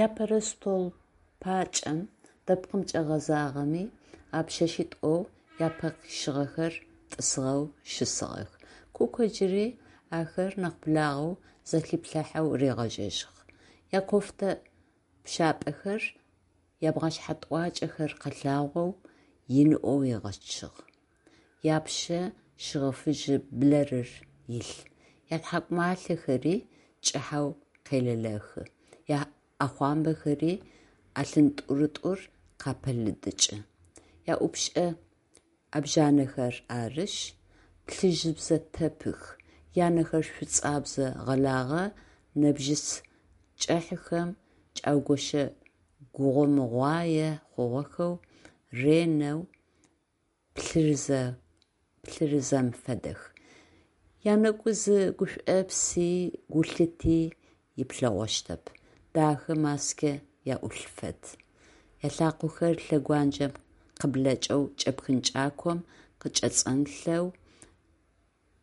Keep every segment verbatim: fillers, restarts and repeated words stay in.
Апэрэ стол пакӏэм, дэпкъымкӏэ гъэзагъэми, а пшъэшъитӏоу апэ къишъыгъэхэр тӏысыгъэу щысыгъэх. Куко джыри ахэр нахь благъэу зэлъиплъыхьэу ригъэжьэжьыгъ. Якофтэ пшъапӏэхэр, ябгъэшъхьэ тӏуакӏэхэр къэлъагъоу, иныӏоу егъэчъыгъ. Япшъэ шыгъэ фыжьы блэрыр илъ, ятхьакӏумалъэхэри кӏыхьэу къелэлэхы, яӏэхъуамбэхэри ӏэлъын тӏурытӏур къапэлыдыкӏы, яӏупшӏэ ӏэбжъанэхэр арышъ, плъыжьыбзэ тэпых, янэхэр шӏуцӏэбзэ гъэлагъэ нэбжьыц кӏыхьэхэм кӏаугъощэгъомыгъуае хъугъэхэу, ренэу плъырызэм фэдэх, янэгу зы гушӏопси гулъыти иплъэгъощтэп, дахэ маскэ аӏулъ фэд, ялъакъохэр лъэгуанджэм къыблэкӏэу кӏэпхын кӏаком къыкӏэцӏэнлъэу,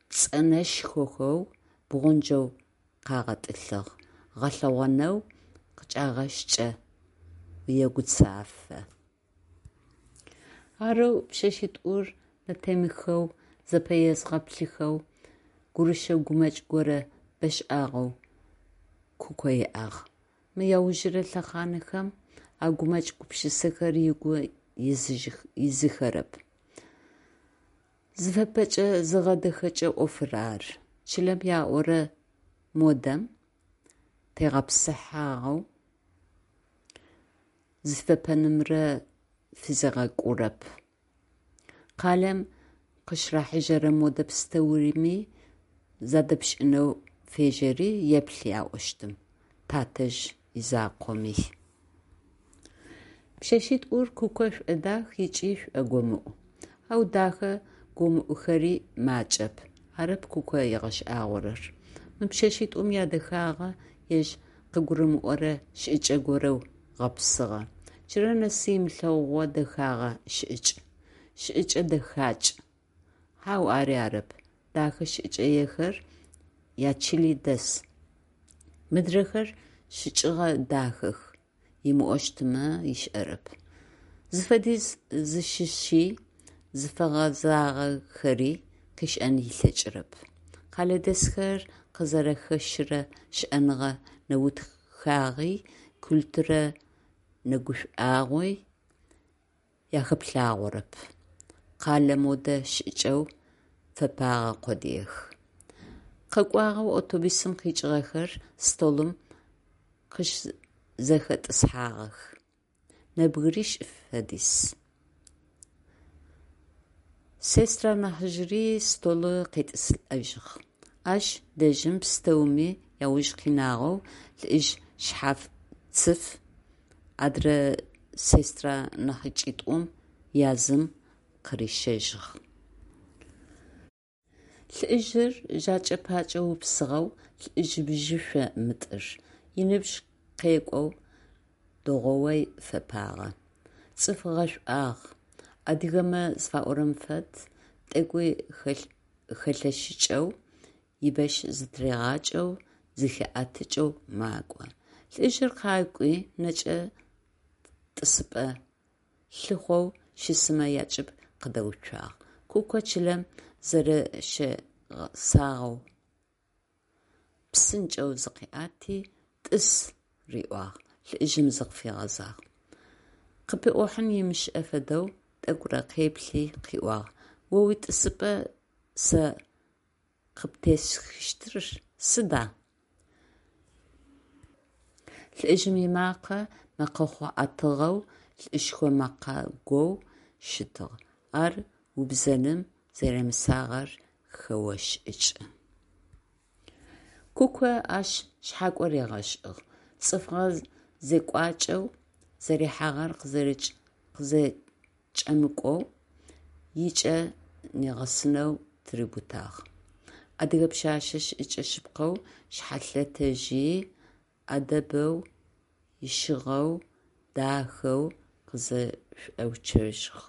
пцӏэнэшхохэу бгъунджэу къагъэтӏылъыгъ, гъэлъэгъонэу къычӏагъэщкӏэ уегуцафэ. Арэу пшъэшъитӏур нэтемыхэу зэпэезгъэплъыхэу гурышэ гумэкӏ горэ бэшӏагъэу Куко иӏагъ. Мы аужырэ лъэхъанхэм а гумэкӏ-гупшысэхэр ыгу изыхэрэп. Зыфэпэкӏэ-зыгъэдэхэкӏэ ӏофыр ары. Чылэм яӏорэ модэм тегъэпсыхьагъэу зыфэпэнымрэ фызегъэкӏурэп. Къалэм къыщырахьыжьэрэ модэ пстэуми задэпшӏынэу фежьэри, еплъ яӏощтым, татэжъ изакъоми. Пшъэшъитӏур Куко шӏодах ыкӏи шӏогомыӏу. Ау дахэ гомыӏухэри макӏэп, арэп Куко ыгъэшӏагъорэр. Мы пшъэшъитӏум ядэхагъэ ежь къыгурымыӏорэ шӏыкӏэ горэу гъэпсыгъэ. Джырэ нэсы ымылъэгъугъэ дэхэгъэ шӏыкӏ. Шӏыкӏэ дэхакӏ. Хьау, ари арэп. Дэхэ шӏыкӏаехэр ячыли дэс, мыдрэхэр шӏыкӏэгъэ дахэх умыӏощтмэ ышӏэрэп. Зыфэди, зыщыщи, зыфэгъэзагъэхэри къышӏэн ылъэкӏырэп. Къэлэдэсхэр къызэрэхэщырэ щыӏэныгъэ нэутхагъи, культурэ нэгушӏуагъи ахэплъагъорэп. Къэлэ модэ шӏыкӏэу фэпэгъэ къодыех. Къэкӏуагъэу автобусым къикӏыгъэхэр столым къыщызэхэтӏысхьагъэх. Нэбгырищ фэдиз. Сестра нахьыжъыри столы къетӏысылӏэжьыгъ. Ащ дэжьым пстэуми ауж къинагъэу лӏыжъ шъхьацыф адрэ сестра нахьыкӏитӏум язым къырищэжьыгъ. Лӏыжъыр жэкӏэ-пакӏэ упсыгъэу, лӏыжъ бжьышъо мытӏыр, ыныбжь къекӏоу дэгъоу фэпагъэ. Цӏыф гъэшӏуагъ, адыгэмэ зыфаӏорэм фэд, тӏэкӏуи хэлъэщыкӏэу, ибэщ зытыригъакӏэу, зыхиӏэтыкӏэу макӏо. Лӏыжъыр къакӏуи нэкӏэ тӏысыпӏэ лъыхъоу щысымэ акӏыб къыдэуцуагъ. Куко чылэм зэрэщегъэсагъэу псынкӏэу зыкъиӏэти «тӏыс» риӏуагъ, лӏыжъым зыкъыфигъэзагъ. Къыпиӏохьан ымышӏэ фэдэу тӏэкӏурэ къеплъи къыӏуагъ: «О уитӏысыпӏэ сэ къыптесхыщтыр сыда?». Лӏыжъым ымакъэ мэкъэхъу ӏэтыгъэу, лӏышхо мэкъэгоу щытыгъ, ар убзэным зэремысагъэр хэошӏыкӏы. Куко ащ шъхьакӏо ригъэшӏыгъ, цӏыфыгъэ зекӏуакӏэу зэрихьагъэр къызэкӏэмыкӏоу ыкӏэ нигъэсынэу тыриубытагъ. Адыгэ пшъэшъэ шӏыкӏэ шъыпкъэу, шъхьэлъытэжьи, ӏэдэбэу, ищыгъэу, дахэу къызэшӏоуцожьыгъ.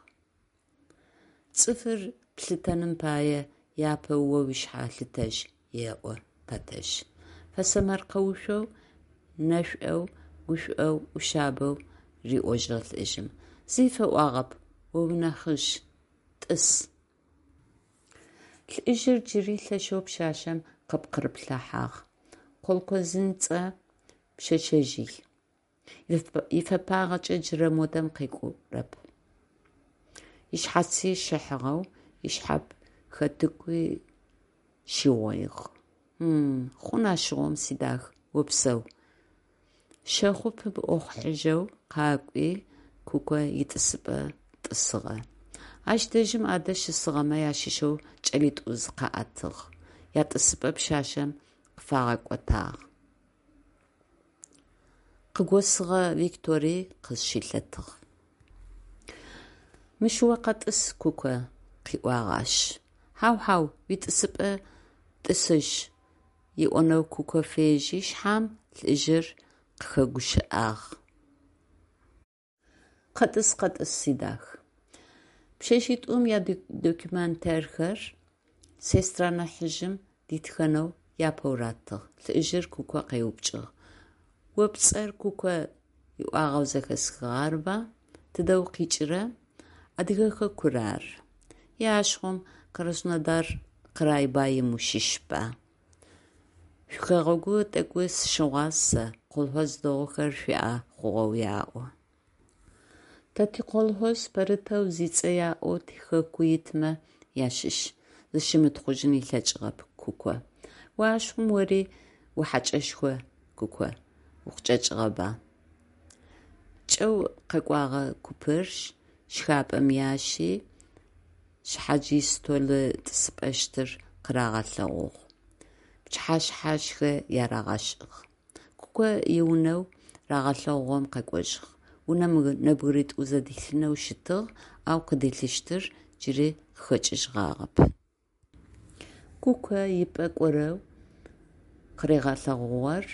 Цӏыфыр плъытэным пае апэу о ушъхьэ лъытэжь, еӏо тэтэжъ. Фэсэмэркъэушъоу, нэшӏоу гушӀоу, Ӏушъабэу риӀожьыгъ лӀыжъым: Зи фэӀуагъэп, о унахьыжъ, тӀыс. Лӏыжъыр джыри лъэшэу пшъашъэм къыпкъырыплъыхьагъ: колхозницэ пшъэшъэжъый, ифэпагъэкӏэ джырэ модэм къекӀурэп, ышъхьаци щыхьыгъэу, ышъхьэпхэтыкуи щыгъуигъ. Хъун ащыгъум, сидах, опсэу, – щэхъу пымыӏохьажьэу къакӀуи, Куко итӏысыпӏэ тӏысыгъэ. Ащ дэжьым адэ щысыгъэмэ ащыщэу кӏэлитӏу зыкъаӏэтыгъ, ятӏысыпӏэ пшъашъэм къыфагъэкӏотагъ. Къыгосыгъэ Виктори къызщылъэтыгъ. Мыщ о къэтӏыс, Куко, – къыӏуагъ ащ. Хьау, хьау, уитӏысыпӏэ тӏысыжь, – ыӏонэу Куко фежьи шъхьам, лӏыжъыр къыхэгущыӏагъ. Къэтӏыс, къэтӏыс, сидах. Пшъэшъитӏум ядокументхэр сестра нахьыжъым дитхэнэу япэу ратыгъ. Лӏыжъыр Куко къеупчӏыгъ: «О пцӏэр Куко ыӏуагъэу зэхэсхыгъ, арыба? Тыдэ укъикӏыра?» «Адыгэ хэкур ары». «Е ащыгъум Краснодар край баим ущыщба? Шъуихэгъэгу тӏэкӏу сыщыгъуаз сэ, колхоз дэгъухэр шъуиӏэ хъугъэу аӏо». «Тэ тиколхоз пэрытэу зицӏэ яӏоу тихэку итмэ ащыщ», – зыщымытхъужьын ылъэкӏыгъэп Куко. «О ащыгъум ори ухьэкӏэшхо, Куко, укъычӏэкӏыгъэба?» Кӏэу къэкӏогъэ купыр шхапӏэм ящи, шъхьадж истол тӏысыпӏэщтыр къырагъэлъэгъугъ, пчыхьэшъхьашхэ ярагъэшӏыгъ. Куко иунэу рагъэлъэгъугъэм къэкӏожьыгъ. Унэм нэбгыритӏу зэдилъынэу щытыгъ, ау къыдилъыщтыр джыри къыхэкӏыжьыгъагъэп. Куко ипӏэкӏорэу къыригъэлъэгъугъэр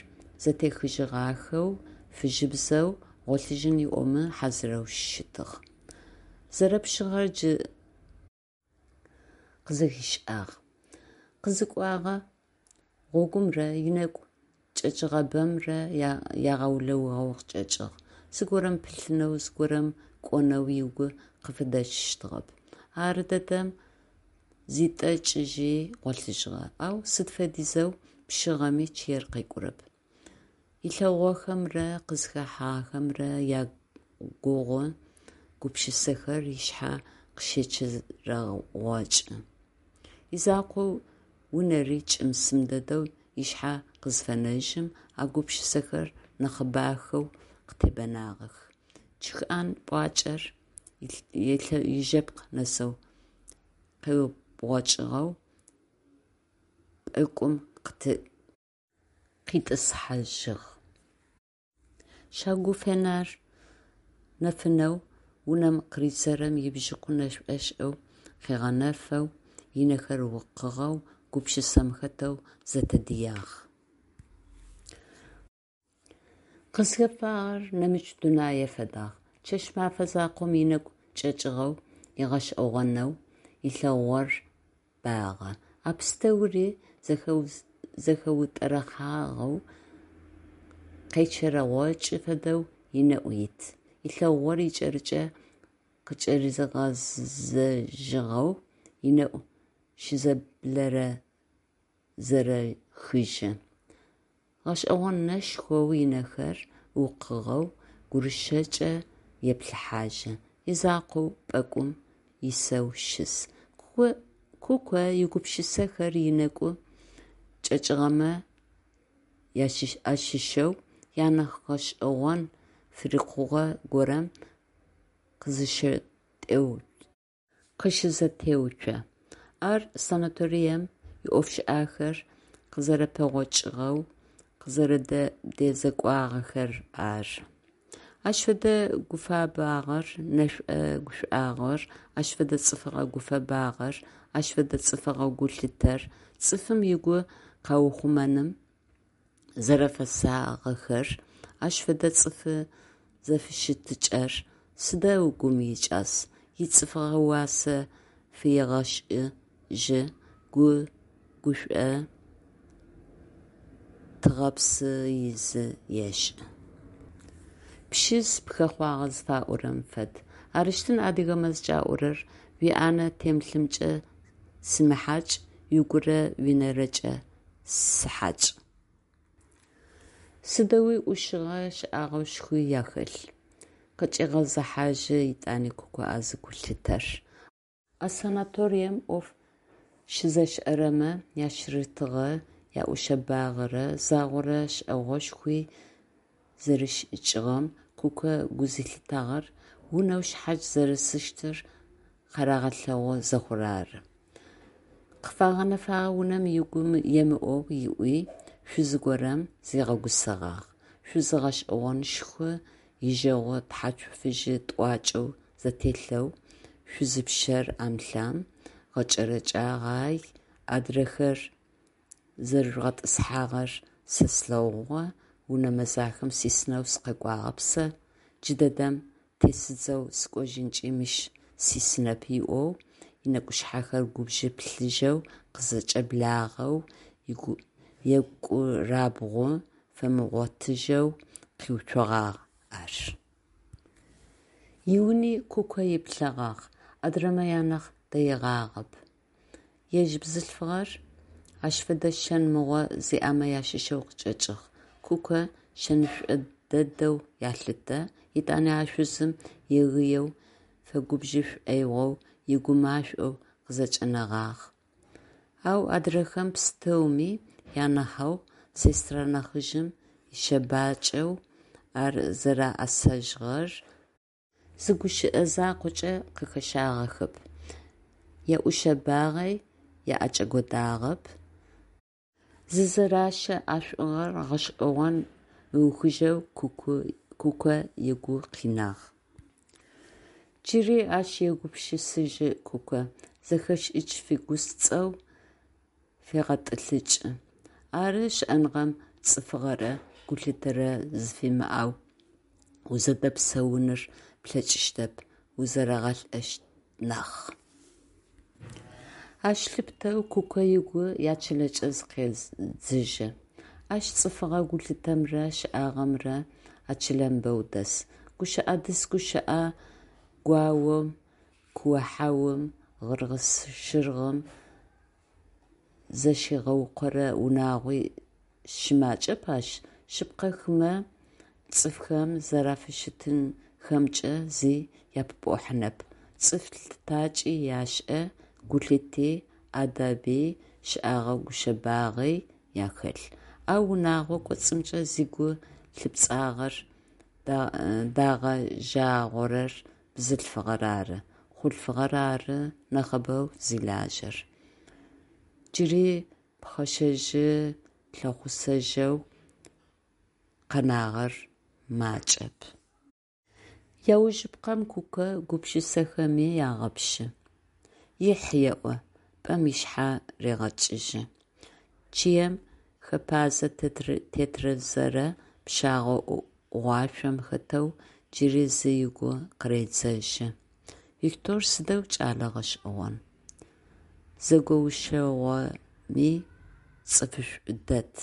зэтехыжьыгъахэу, фыжьыбзэу, гъолъыжьын ыӏомэ хьазырэу щытыгъ. Зэрэпшъыгъэр джы къызэхишӏагъ. Къызыкӏугъэ гъогумрэ ынэгу кӏэкӏыгъэбэмрэ ягъэулэугъэу къычӏэкӏыгъ. Зыгорэм пылъынэу, зыгорэм кӏонэу ыгу къыфыдэчъыщтыгъэп. Ардэдэм зитӏэкӏыжьи гъолъыжьыгъэ, ау сыд фэдизэу пшъыгъэми чъыер къекӏурэп. Ылъэгъугъэхэмрэ къызхэхьагъэхэмрэ ягугъу гупшысэхэр ышъхьэ къыщечэрэгъокӏы. Изакъоу унэри кӏым-сым дэдэу ышъхьэ къызфенэжьым, а гупшысэхэр нахьыбахэу къытебэнагъэх. Чыхӏэн пӏуакӏэр ижэпкъ нэсэу къеубгъокӏыгъэу пӏэкӏум къитӏысхьажьыгъ. Щагу фенер нэфынэу унэм къыридзэрэм ибжьыкъу нэшӏошӏэу къыгъэнэфэу, ынэхэр укъыгъэу, гупшысэм хэтэу зэтэдыягъ. Къызхэфагъэр нэмыкӏ дунае фэдагъ. Чэщ-мэфэ закъом ынэгу кӏэкӏыгъэу, гъэшӏэгъонэу ылъэгъугъэр багъэ. А пстэури зэхэутӏэрэхъуагъэу, къечэрэгъокӏы фэдэу ынэӏу ит. Ылъэгъугъэр икӏэрыкӏэу къыкӏэригъэзэжьыгъэу ынэӏу щызэблэрэзэрэхыжьы. Гъэшӏэгъон нэшхоу ынэхэр укъыгъэу гурышэкӏэ еплъыхьажьы. Изакъоу пӏэкӏум исэу щыс. Куко игупшысэхэр ынэгу кӏэкӏыгъэмэ ащыщэу анахь гъэшӏэгъон фырикъугъэ горэм къыщызэтеуцо. Ар санаторием иӏофышӏэхэр къызэрэпэгъокӏыгъэу, къызэрэдэзекӏуагъэхэр ары. Ащ фэдэ гуфэбагъэр, нэшӏо-гушӏуагъор, ащ фэдэ цӏыфыгъэ гуфэбагъэр, ащ фэдэ цӏыфыгъэ гулъытэр, цӏыфым ыгу къаухъумэным зэрэфэсагъэхэр, ащ фэдэ цӏыфы зэфыщытыкӏэр сыдэу гум икӏас, ицӏыфыгъэ уасэ фегъэшӏыжьы, гу гушӏо тыгъэпсы изы ешӏы. Пщиз пхэхъуагъэ зыфаӏорэм фэд. Арыщтын адыгэмэ зыкӏаӏорэр: «Уиӏанэ темылъымкӏэ симыхьакӏ, угурэ уинэрэкӏэ сыхьакӏ». Сыдэуи ӏушыгъэ, щэӏэгъэшхуи ахэлъ! Къыкӏегъэзыхьажьы етӏани Куко а зы гулъытэр. А санаторием ӏоф щызышӏэрэмэ яшъырытыгъэ, яӏушъэбагъэрэ загъорэ шӏэгъошхуи зэришӏыкӏыгъэм Куко гу зылъитагъэр унэу шъхьадж зэрысыщтыр къарагъэлъэгъу зэхъур ары. Къыфагъэнэфэгъэ унэм ыгу емыӏоу ыӏуи, шъузы горэм зигъэгусэгъагъ. Шъузы гъэшӏэгъонышху, ижэгъу тхьацу фыжьы тӏуакӏэу зэтелъэу, шъузы пщэр ӏэм-лъам, гъэкӏэрэкӏэгъай, адрэхэр зэрыжъугъэтӏысхьагъэр сэ слъэгъугъэ, унэ мэзахэм сисынэу сыкъэкӏуагъэп сэ, джыдэдэм тесыдзэу сыкӏожьынкӏи мыщ сисынэп ыӏоу, ынэкӏушъхьэхэр губжы плъыжьэу къызэкӏэблагъэу, екӏурабгъу фэмыгъотыжьэу къиуцогъагъ ар. Иуни Куко иплъэгъагъ, адрэмэ анахь дэигъагъэп. Ежь бзылъфыгъэр ащ фэдэ шэн мыгъо зиӏэмэ ащыщэу къычӏэкӏыгъ. Куко шэнышӏо дэдэу елъытэ, етӏани а шъузым егыеу, фэгубжы шӏоигъоу ыгу машӏоу къызэкӏэнэгъагъ. Ау адрэхэм пстэуми анахьэу сестра нахьыжъым ишъэбакӏэу ар зэрэӏэсэжьыгъэр зы гущыӏэ закъокӏэ къыхэщагъэхэп, яӏушъэбагъи аӏэкӏэкӏодагъэп, зызэращэ ӏэшӏугъэр гъэшӏэгъон мыухыжьэу Куко ыгу къинагъ. Джыри ащ егупшысэжьы Куко, зэхэшӏыкӏ фигуцӏэу фегъэтӏылъыкӏы. Ары, щыӏэныгъэм цӏыфыгъэрэ гулъытэрэ зыфыуимыӏэу узэдэпсэуныр плъэкӏыщтэп, узэрэгъэлӏэщт нахь. Ащ лъыпытэу Куко ыгу ячылэкӏэ зыкъедзыжьы. Ащ цӏыфыгъэ гулъытэмрэ щэӏагъэмрэ а чылэм бэу дэс. Гущыӏэ дыс гущыӏэ гуаом, куо-хьаум, гъыргъ-щыргъым зэщигъэукъорэ унагъуи щымакӏэп ащ. Шъыпкъэ, хымэ цӏыфхэм зэрафыщытхэмкӏэ зи япӏохьанэп, цӏыф лъытакӏи яшӏэ, гулъыти, ӏадэби, щэӏэгъэ-гушъэбагъи ахэлъ. Ау унэгъо кӏоцӏымкӏэ зыгу лъыпцӏагъэр дагъэжъагъорэр бзылъфыгъэр ары, хъулъфыгъэр ары нахьыбэу зилажьэр. Джыри пхъэшэжъы лъэхъусэжъэу къэнагъэр макӏэп. Аужыпкъэм Куко гупшысэхэми ягъэпшъы. «Ихь!» еӏо, пӏэм ышъхьэ регъэкӏыжьы. Чъыем хэпэзэ тетрызэрэ пщагъо ӏугъуашъом хэтэу джыри зы ыгу къыредзэжьы: «Виктор сыдэу кӏэлэ гъэшӏэгъон, зэгоушъэгъэми цӏыфышӏу дэд»,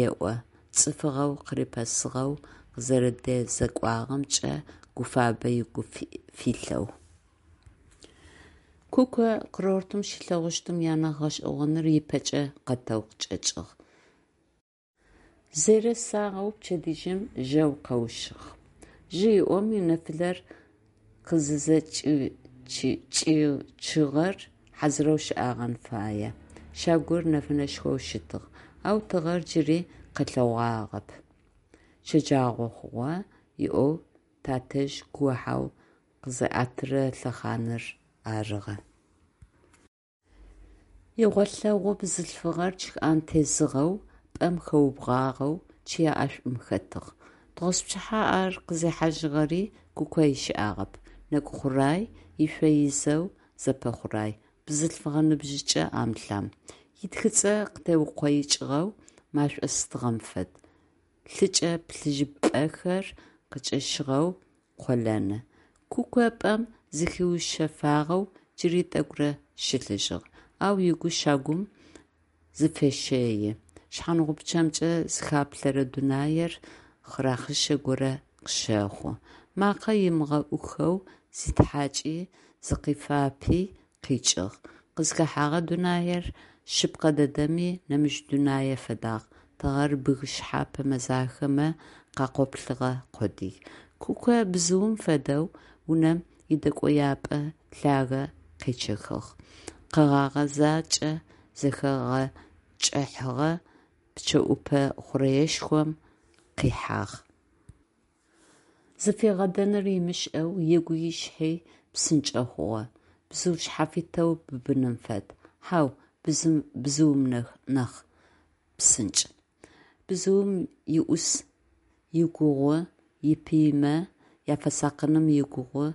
еӏо, цӏыфыгъэу къырипэсыгъэу, къызэрэдэзекӏуагъэмкӏэ гу фабэ ыгу филъэу. Куко курортым щилъэгъущтым анахь гъэшӏэгъоныр ыпэкӏэ къэтэу къычӏэкӏыгъ. Зэресагъэу пчэдыжьым жьэу къэущыгъ. Жьы иӏоми, нэфылэр къызызэкӏичыгъэр хьазырэу щыӏэгъэн фае. Щагур нэфынэшхоу щытыгъ, ау тыгъэр джыри къэлъэгъуагъэп. Щэджагъо хъугъэ ыӏоу тэтэжъ куо-хьау къызиӏэтырэ лъэхъаныр арыгъэ. Игъолъэгъу бзылъфыгъэр чъыӏэм тезыгъэу, пӏэм хэубгъуагъэу чъые ӏэшӏум хэтыгъ. Тыгъоспчыхьэ ар къызихьажьыгъэри Куко ышӏагъэп. Нэкӏу хъурай, ышъо изэу зэпэхъурай, бзылъфыгъэ ныбжьыкӏэ ӏэм-лъам. Ытхыцӏэ къытеукъоикӏыгъэу машӏо стыгъэм фэд, лъыкӏэ плъыжьыпӏэхэр къыкӏэщыгъэу къолэны. Куко пӏэм зыхиушъэфагъэу джыри тӏэкӏурэ щылъыжьыгъ, ау ыгу щагум зыфещэи. Шъхьангъупчъэмкӏэ зыхаплъэрэ дунаир хъырахъишъэ горэ къыщэхъу. Макъэ ымыгъэӏухэу зитхьакӏи, зыкъифапи къикӏыгъ. Къызхэхьэгъэ дунаир шъыпкъэ дэдэми, нэмыкӏ дунае фэдагъ: тыгъэр бгы шъхьэпэ мэзахэмэ къакъоплъыгъэ къодый. Куко бзыум фэдэу унэм идэкӏояпӏэ лъагэ къечъэхыгъ, къэгъэгъэ зэкӏэ зэхэгъэкӏыхьэгъэ пчъэӏупэ хъурэешхом къихьагъ. Зыфигъэдэнур ымышӏэу ыгуи ышъхьи псынкӏэ хъугъэ. Бзыу шъхьафитэу быбыным фэд. Хьау, бзыум нахь псынкӏ. Бзыум иӏус игугъу, ипыймэ афэсакъыным игугъу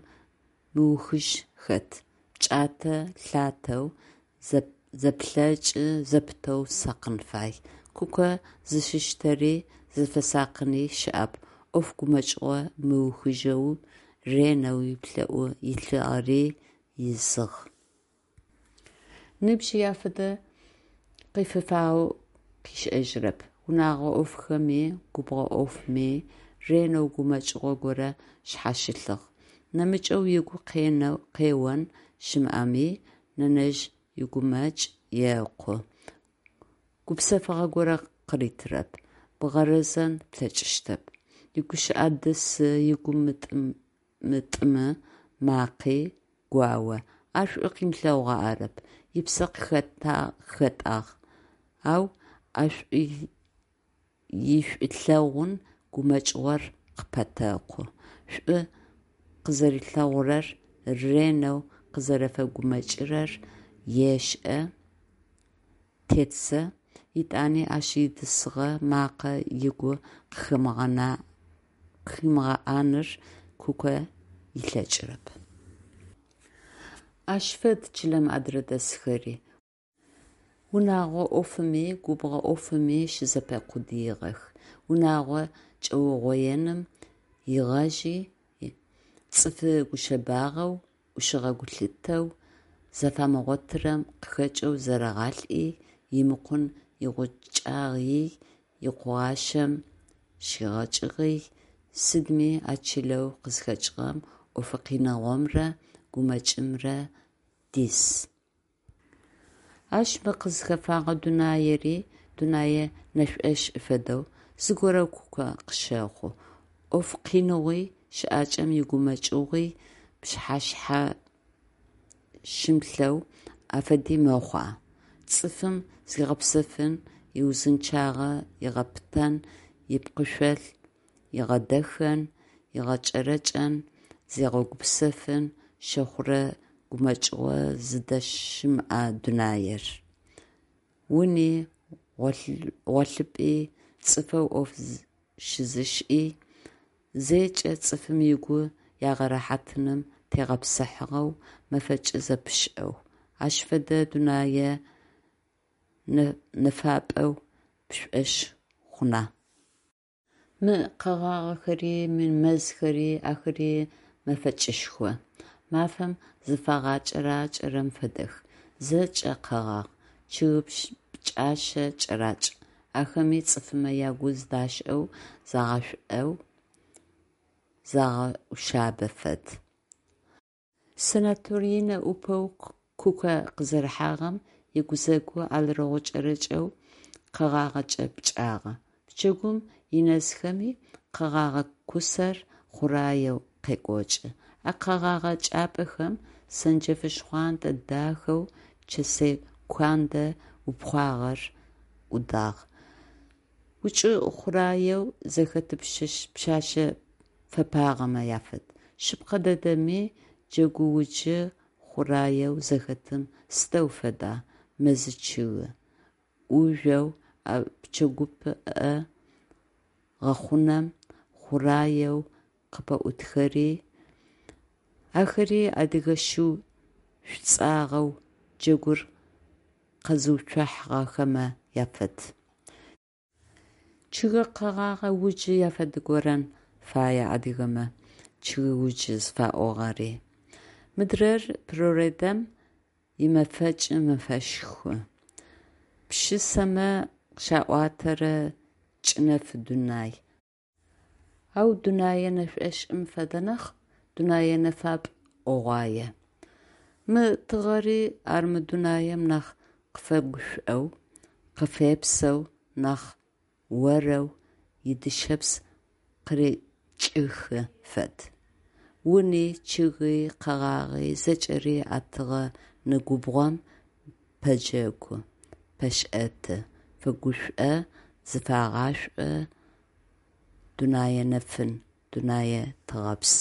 мыухыжь хэт, пкӏатэ лъатэу, зэплъэкӏы зэпытэу сакъын фай. Куко зыщыщтэри, зыфэсакъыни щыӏэп, ӏоф гумэкӏыгъо мыухыжьэу ренэу ыплӏэӏу илъыри изыгъ. Ныбжьи афэдэ къыфифагъэу къышӏэжьырэп. Унэгъо ӏофхэми, губгъо ӏофми ренэу гумэкӏыгъо горэ шъхьащылъыгъ. Нэмыкӏэу ыгу къеон щымыӏэми, нэнэжъ игумэкӏ екъу, гупсэфыгъо горэ къыритырэп, бгъэрэзэн плъэкӏыщтэп. Игущыӏэ дысы, игу мытӏымы макъи гуао. Ар шӏу къимылъэгъугъэу арэп, ыпсэ къыхэтӏагъ, ау а ишӏулъэгъун гумэкӏыгъор къыпетэкъу, шӏу къызэрилъэгъурэр, ренэу къызэрэфэгумэкӏырэр ешӏэ тетзэ, етӏани ащ идысыгъэ макъэ ыгу къыхимыгъэӏаныр Куко ылъэкӏырэп. Ащ фэд чылэм адрэ дэсхэри: унэгъо ӏофыми, губгъо ӏофыми щызэпэкъудыигъэх. Унэгъо кӏэугъоеным ригъажьи, цӏыфы гушъэбагъэу, ӏушыгъэ-гулъытэу зыфамыгъотырэм къыхэкӏэу зэрэгъалӏи, имыкъун игъукӏагъи, икъугъащэм щигъэкӏыгъи, сыдми а чылэу къызхэкӏыгъэм ӏофы къиныгъомрэ гумэкӏымрэ диз. Ащ мы къызхэфагъэ дунаери дунэе нэшӏошӏ фэдэу зыгорэу Куко къыщэхъу. Ӏоф къиныгъуи, щыӏакӏэм игумэкӏыгъуи пшъхьэ шъхьащымылъэу афэди мэхъуа? Цӏыфым зигъэпсэфын, иузынчъагъэ ыгъэпытэн, ыпкъышъол ыгъэдэхэн, ыгъэкӏэрэкӏэн, зигъэгупсэфын щэхъурэ гумэкӏыгъо зыдэщымыӏэ дунаер? Уни, гъолъыпӏи, цӏыфэу ӏоф щызышӏи зэкӏэ цӏыфым ыгу егъэрэхьатыным тегъэпсыхьагъэу, мэфэкӏы зэпышӏэу. Ащ фэдэ дунае нэфапӏэу пшӏошъ хъуна? Мы къэгъагъэхэри, мы мэзхэри, ахэри мэфэкӏышхо. Мафэм зыфагъэкӏэракӏэрэм фэдэх. Зэкӏэ къэгъагъ, чъыг пкӏашъэ кӏэракӏ. Ахэми цӏыфмэ ягу зыдашӏэу, загъашӏоу, загъэӏушъабэ фэд. Санаториинэ ӏупэу Куко къызэрыхьагъэм ыгузэгу алрэгъу кӏэрэкӏэу къэгъагъэкӏэ пкӏагъэ. Пчэгум инэзхэми къэгъэгъэ кусэр хъураеу къекӏокӏы. А къэгъэгъэ кӏапэхэм сэнджэфы шхъуантӏэ дахэу чэсэй куандэ упхъуагъэр ӏудагъ. Укӏы хъураеу зэхэт пшъэшъэ фэпагъэмэ афэд. Шъыпкъэ дэдэми джэгууджы хъураеу зэхэтым сыдэу фэда, мэзы чъыгы ӏужъоу а пчэгупӏэ гъэхъунэм хъураеу къыпэӏутхэри? Ахэри адыгэ шыу шӏуцӏагъэу джэгур къэзыуцухьагъэмэ афэд. Чъыг-къэгъэгъэ уджы афэдэгорэн фае адыгэмэ чъыгыуджы зыфаӏуагъэри. Мыдрэр природэм имэфэкӏ мэфэшху, пшысэмэ къыщаӏотэрэ кӏынэф дунай. Ау дунэе нэшӏошӏым фэдэ нахь, дунэе нэфапӏ ӏогъуае. Мы тыгъэри армэ дунаем нахь къыфэгушӏоу, къыфепсэу, нахь орэу идышъэпс къырекӏыхы фэд. Уни, чъыги, къэгъагъи зэкӏэри а тыгъэ нэгубгъом пэджэгу, пэшӏэты, фэгушӏо, зыфагъашӏо, дунэе нэфын, дунэе тыгъэпс.